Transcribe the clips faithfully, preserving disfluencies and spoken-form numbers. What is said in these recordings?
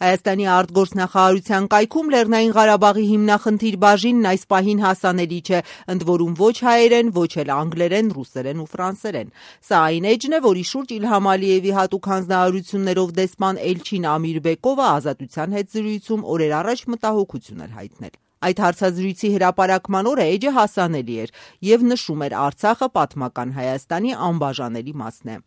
Հայաստանի արտգործնախարարության կայքում Լեռնային Ղարաբաղի հիմնախնդիր բաժինն այս պահին հասանելի չէ, ընդ որում ոչ հայերեն, ոչ էլ անգլերեն, ռուսերեն ու ֆրանսերեն։ Սա այն էջն է, որի շուրջ Իլհամ Ալիևի հատուկ հանձնարարություններով դեսպան Էլչին Ամիրբեկովը Ազատության հետ զրույցում օրեր առաջ մտահոգություն էր հայտնել։ Այդ հարցազրույցի հրապարակման օրը էջը հասանելի էր եւ նշում էր Արցախը պատմական Հայաստանի անբաժանելի մասն է։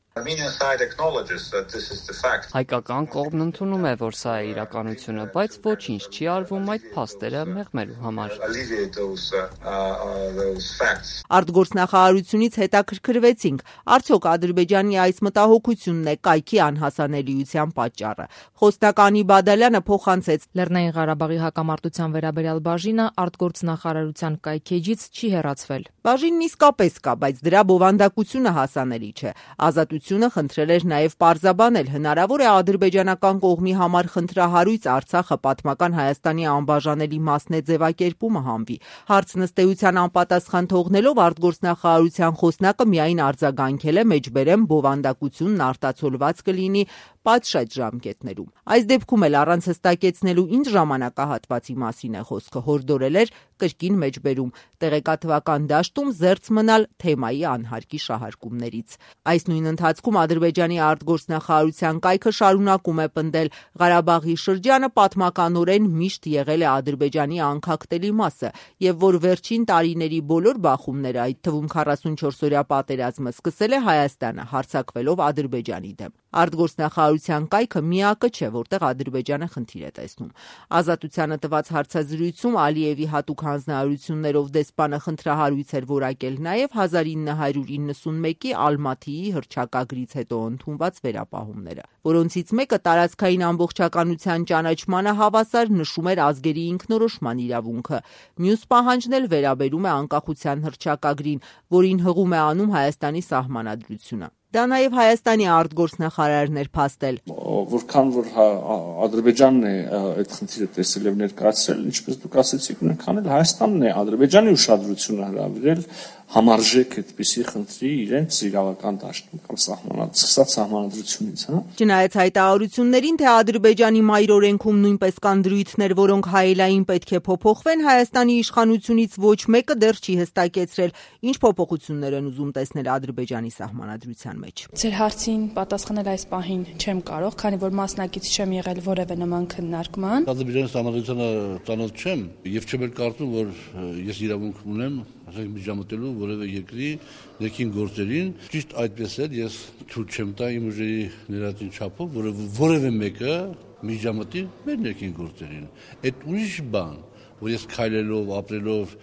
Հայկական կողմն ընդունում է, որ սա է իրականությունը, բայց ոչինչ չի արվում այդ փաստերը մեղմելու համար։ Արտգործնախարարությունից հետաքրքրվեցինք, արդյոք Ադրբեջանի այս մտահոգությունն է կայքի անհասանելիության պատճառը։ Խոսնակ Անի Բադալյանը փոխանցեց. Լեռնային Ղարաբաղի հակամարտության վերաբերյալ բաժինը արտգործնախարարության կայքեջից չի հեռացվել։ Բաժինն իսկապես կա, բայց դրա բովանդակությունը հասանելի չէ։ Ազատությունը խնդրել էր նաև պարզաբանել, հնարավոր է ադրբեջանական կողմի համար խնդրահարույց Արցախը պատմական Հայաստանի անբաժանելի մասն է ձևակերպումը հանվի։ Հարց նստեության անպատասխան թողնելով արտգործնախարարության խոսնակը միայն արձագանքել է մեջբերեմ բովանդակությունն արտացոլված կլինի պատշաճ ժամկետներում։ Այս դեպքում էլ առանց հստակեցնելու ինչ ժամանակահատվածի մասին է խոսքը, հորդորել էր կրկին մեջբերում, տեղեկատվական դաշտում զերծ մնալ թեմայի անհարկի շահարկումներից։ Այս նույն ընթացքում Ադրբեջանի արտգործնախարարության կայքը շարունակում է պնդել Ղարաբաղի շրջանը պատմականորեն միշտ եղել է Ադրբեջանի անքակտելի մասը եւ որ վերջին տարիների բոլոր բախումները, այդ թվում քառասունչորսօրյա պատերազմը սկսել է Հայաստանը հարձակվելով Ադրբեջանի դեմ։ Արտգործնախարարության կայքը միակը չէ, որտեղ Ադրբեջանը խնդիր է տեսնում։ Ազատությանը տված հարցազրույցում Ալիևի հատուկ հանձնարարություններով դեսպանը խնդրահարույց էր որակել նաև հազար ինը հարյուր իննսունմեկի Ալմաթիի հռչակագրից հետո ընդունված վերապահումները, որոնցից մեկը տարածքային ամբողջականության ճանաչմանը հավասար նշում էր ազգերի ինքնորոշման իրավունքը։ Մյուս պահանջն էլ վերաբերում է անկախության հռչակագրին, որին հղում է անում Հայաստանի սահմանադրությունը։ Դա նաև Հայաստանի արտգործնախարարն էր փաստել։ Որքան որ Ադրբեջանն է այդ խնդիրը տեսել եւ ներկայացրել, ինչպես դուք ասացիք, նույնքան էլ Հայաստանն է Ադրբեջանի ուշադրությունը հրավիրել համարժեք այդպիսի խնդրի իրենց իրավական դաշտում կամ սահմանած սահմանադրությունից, հա։ Չնայած հայտարարություններին, թե Ադրբեջանի մայրօրենքում նույնպես կան դրույթներ, որոնք հայելային պետք է փոփոխվեն, Հայաստանի իշխանությունից ոչ մեկը դեռ չի հստակեցրել, ինչ փոփոխություններ են ուզում տեսնել Ադրբեջանի սահմանադրության մեջ։ Ձեր հարցին պատասխանել այս պահին չեմ կարող, քանի որ մասնակից չեմ եղել որևէ նման քննարկման։ Ադրբեջանի սահմանադրությանը ծանոթ չեմ եւ չեմ էլ կարծում, որ ես իրավունք ունեմ ասենք միջամտելու որևէ երկրի ներքին գործերին։ Ճիշտ այդպես էլ ես թույլ չեմ տա իմ ուժերի ներածին չափով որևէ մեկը միջամտի մեր ներքին գործերին։ Այդ ուրիշ բան, որ ես քայլելով, ապրելով,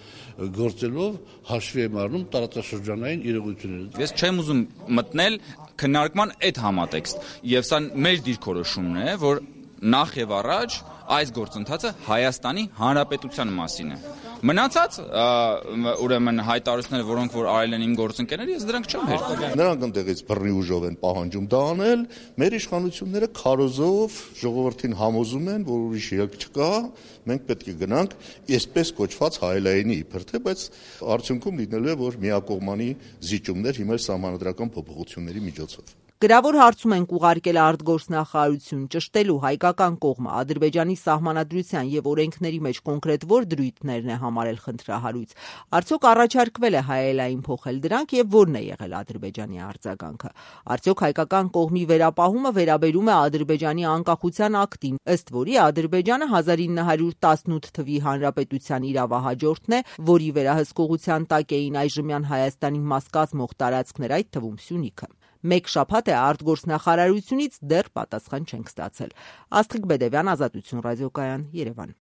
գործելով հաշվի եմ առնում տարածաշրջանային իրողությունները։ Ես չեմ ուզում մտնել քննարկման այդ համատեքստ, եւ սա մեր դիրքորոշումն է, որ նախ եւ առաջ այս գործընթացը Հայաստանի Հանրապետության մասին է։ Մնացած ուրեմն հայտարարությունները, որոնք որ արել են իմ գործընկերները, ես դրանք չեմ հերքում։ Նրանք ընդեղից բռնի ուժով են պահանջում դա անել, մեր իշխանությունները քարոզով ժողովրդին համոզում են, որ ուրիշ ելք չկա, մենք պետք է գնանք այսպես կոչված հայելայինի իբր թե, բայց արդյունքում լինելու է, որ միակողմանի զիջումներ հիմա սահմանադրական փոփոխությունների միջոցով։ Գրավոր հարցում ենք ուղարկել արտգործնախարարություն ճշտելու հայկական կողմը Ադրբեջանի սահմանադրության եւ օրենքների մեջ կոնկրետ որ դրույթներն է համարել խնդրահարույց։ Արդյոք առաջարկվել է հայելային փոխել դրանք եւ որն է եղել Ադրբեջանի արձագանքը։ Արդյոք հայկական կողմի վերապահումը վերաբերում է Ադրբեջանի անկախության ակտին, ըստ որի Ադրբեջանը հազար ինը հարյուր տասնութ թվի հանրապետության իրավահաջորդն է, որի վերահսկողության տակ էին այժմյան Հայաստանի մաս կազմող տարածքներ, այդ թվում Սյունիքը։ Մեկ շաբաթ է արտգործնախարարությունից դեռ պատասխան չենք ստացել։ Աստղիկ Բեդևյան, Ազատություն ռադիոկայան, Երևան։